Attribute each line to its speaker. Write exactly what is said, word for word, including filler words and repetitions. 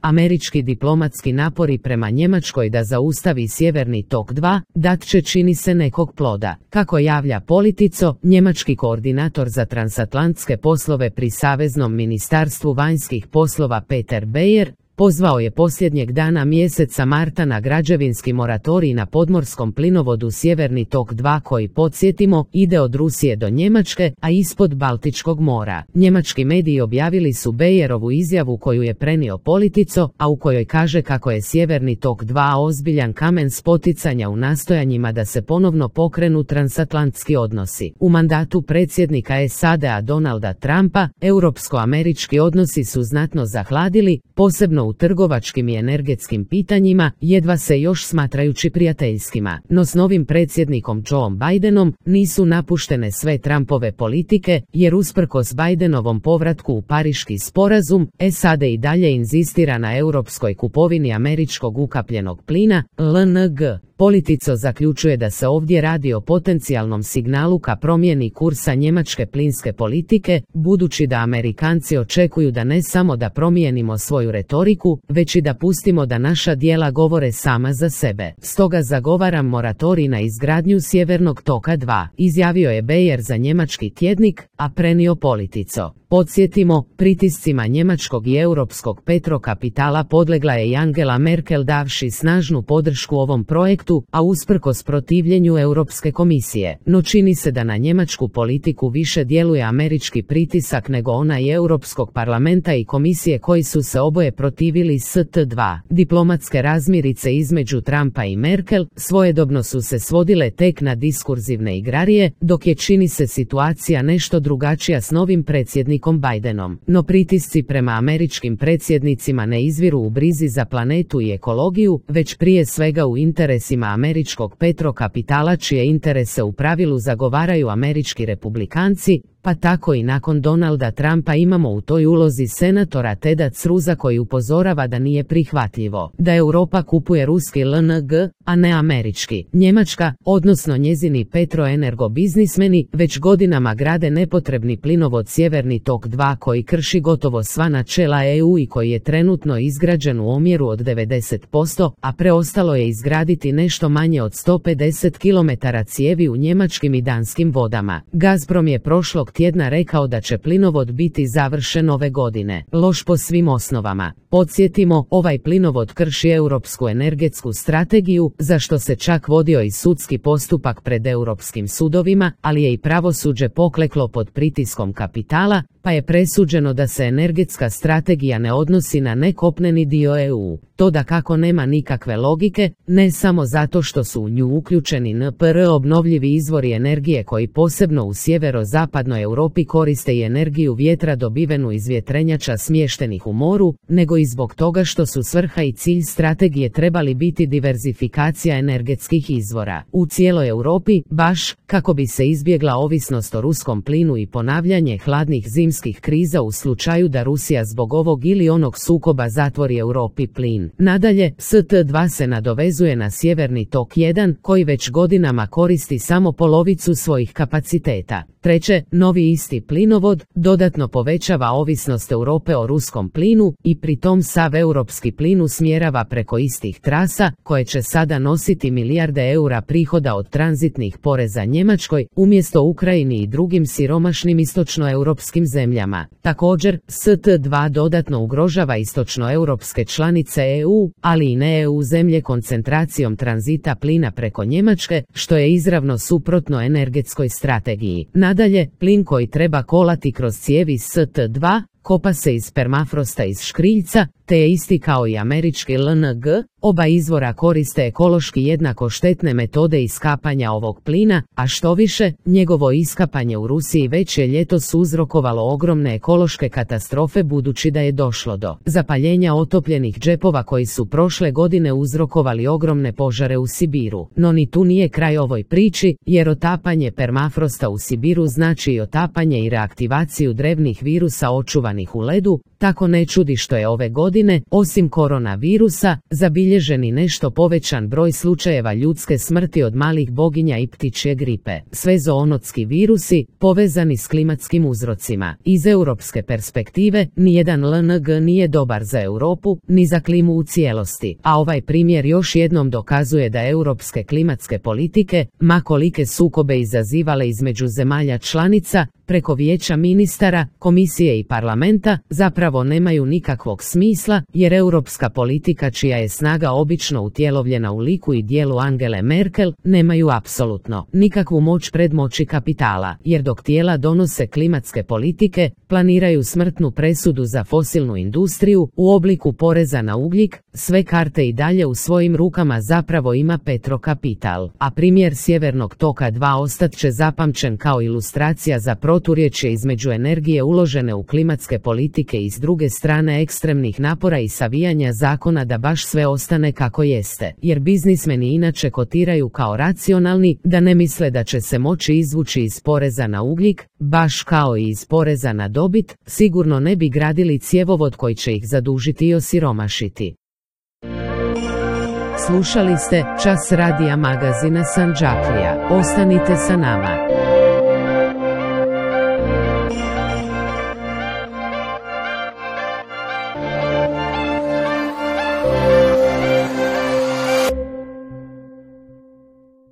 Speaker 1: američki diplomatski napori prema Njemačkoj da zaustavi Sjeverni tok dva, dat će čini se nekog ploda. Kako javlja Politico, njemački koordinator za transatlantske poslove pri Saveznom ministarstvu vanjskih poslova Peter Beyer, pozvao je posljednjeg dana mjeseca marta na građevinski moratorij na podmorskom plinovodu Sjeverni tok dva koji, podsjetimo, ide od Rusije do Njemačke, a ispod Baltičkog mora. Njemački mediji objavili su Beyerovu izjavu koju je prenio Politico, a u kojoj kaže kako je Sjeverni tok dva ozbiljan kamen spoticanja u nastojanjima da se ponovno pokrenu transatlantski odnosi. U mandatu predsjednika S A D-a Donalda Trumpa, europsko-američki odnosi su znatno zahladili, posebno u trgovačkim i energetskim pitanjima, jedva se još smatrajući prijateljskima. No s novim predsjednikom Joe Bidenom nisu napuštene sve Trumpove politike, jer usprkos Bidenovom povratku u Pariški sporazum, S A D i dalje inzistira na europskoj kupovini američkog ukapljenog plina, L N G. Politico zaključuje da se ovdje radi o potencijalnom signalu ka promjeni kursa njemačke plinske politike, budući da Amerikanci očekuju da ne samo da promijenimo svoju retoriku, već i da pustimo da naša djela govore sama za sebe. Stoga zagovaram moratorij na izgradnju Sjevernog toka dva, izjavio je Beyer za njemački tjednik, a prenio Politico. Podsjetimo, pritiscima njemačkog i europskog petrokapitala podlegla je i Angela Merkel davši snažnu podršku ovom projektu, a usprkos protivljenju Europske komisije. No čini se da na njemačku politiku više djeluje američki pritisak nego onaj Europskog parlamenta i komisije koji su se oboje protivili S T dva. Diplomatske razmirice između Trumpa i Merkel svojedobno su se svodile tek na diskurzivne igrarije, dok je čini se situacija nešto drugačija s novim predsjednikom Bidenom. No pritisci prema američkim predsjednicima ne izviru u brizi za planetu i ekologiju, već prije svega u interesima američkog petrokapitala čije interese u pravilu zagovaraju američki republikanci, pa tako i nakon Donalda Trumpa imamo u toj ulozi senatora Teda Cruza koji upozorava da nije prihvatljivo da Europa kupuje ruski L N G, a ne američki. Njemačka, odnosno njezini petroenergo biznismeni, već godinama grade nepotrebni plinovod Sjeverni tok dva koji krši gotovo sva načela E U i koji je trenutno izgrađen u omjeru od devedeset posto, a preostalo je izgraditi nešto manje od sto pedeset kilometara cijevi u njemačkim i danskim vodama. Gazprom je prošlog tjedna rekao da će plinovod biti završen ove godine. Loš po svim osnovama. Podsjetimo, ovaj plinovod krši europsku energetsku strategiju, za što se čak vodio i sudski postupak pred europskim sudovima, ali je i pravosuđe pokleklo pod pritiskom kapitala, pa je presuđeno da se energetska strategija ne odnosi na nekopneni dio E U. To dakako nema nikakve logike, ne samo zato što su u nju uključeni N P R obnovljivi izvori energije koji posebno u sjeverozapadnoj Europi koriste i energiju vjetra dobivenu iz vjetrenjača smještenih u moru, nego i zbog toga što su svrha i cilj strategije trebali biti diverzifikacija energetskih izvora u cijeloj Europi, baš kako bi se izbjegla ovisnost o ruskom plinu i ponavljanje hladnih zimskih kriza u slučaju da Rusija zbog ovog ili onog sukoba zatvori Europi plin. Nadalje, S T dva se nadovezuje na Sjeverni tok jedan, koji već godinama koristi samo polovicu svojih kapaciteta. Treće, novi isti plinovod dodatno povećava ovisnost Europe o ruskom plinu i pritom sav europski plin usmjerava preko istih trasa, koje će sada nositi milijarde eura prihoda od tranzitnih poreza Njemačkoj, umjesto Ukrajini i drugim siromašnim istočnoeuropskim zemljama. Također, S T dva dodatno ugrožava istočnoeuropske članice E U, ali i ne E U zemlje koncentracijom tranzita plina preko Njemačke, što je izravno suprotno energetskoj strategiji. Nadalje, plin koji treba kolati kroz cijevi S T dva, kopa se iz permafrosta iz škriljca, te je isti kao i američki L N G, oba izvora koriste ekološki jednako štetne metode iskapanja ovog plina, a što više, njegovo iskapanje u Rusiji već je ljetos uzrokovalo ogromne ekološke katastrofe budući da je došlo do zapaljenja otopljenih džepova koji su prošle godine uzrokovali ogromne požare u Sibiru. No ni tu nije kraj ovoj priči, jer otapanje permafrosta u Sibiru znači i otapanje i reaktivaciju drevnih virusa očuvanih u ledu, tako ne čudi što je ove godine, osim koronavirusa, zabilježen i nešto povećan broj slučajeva ljudske smrti od malih boginja i ptičje gripe. Sve zoonotski virusi, povezani s klimatskim uzrocima. Iz europske perspektive, nijedan L N G nije dobar za Europu, ni za klimu u cijelosti, a ovaj primjer još jednom dokazuje da europske klimatske politike, ma kolike sukobe izazivale između zemalja članica, preko vijeća ministara, komisije i parlamenta, zapravo nemaju nikakvog smisla, jer europska politika čija je snaga obično utjelovljena u liku i dijelu Angele Merkel, nemaju apsolutno nikakvu moć pred moći kapitala, jer dok tijela donose klimatske politike, planiraju smrtnu presudu za fosilnu industriju u obliku poreza na ugljik, sve karte i dalje u svojim rukama zapravo ima petrokapital, a primjer Sjevernog toka dva ostat će zapamćen kao ilustracija za proturječje između energije uložene u klimatske politike i s druge strane ekstremnih napora i savijanja zakona da baš sve ostane kako jeste, jer biznismeni inače kotiraju kao racionalni, da ne misle da će se moći izvući iz poreza na ugljik, baš kao i iz poreza na dobit, sigurno ne bi gradili cjevovod koji će ih zadužiti i osiromašiti. Slušali ste Čas radija magazina Sandžaklija. Ostanite sa nama.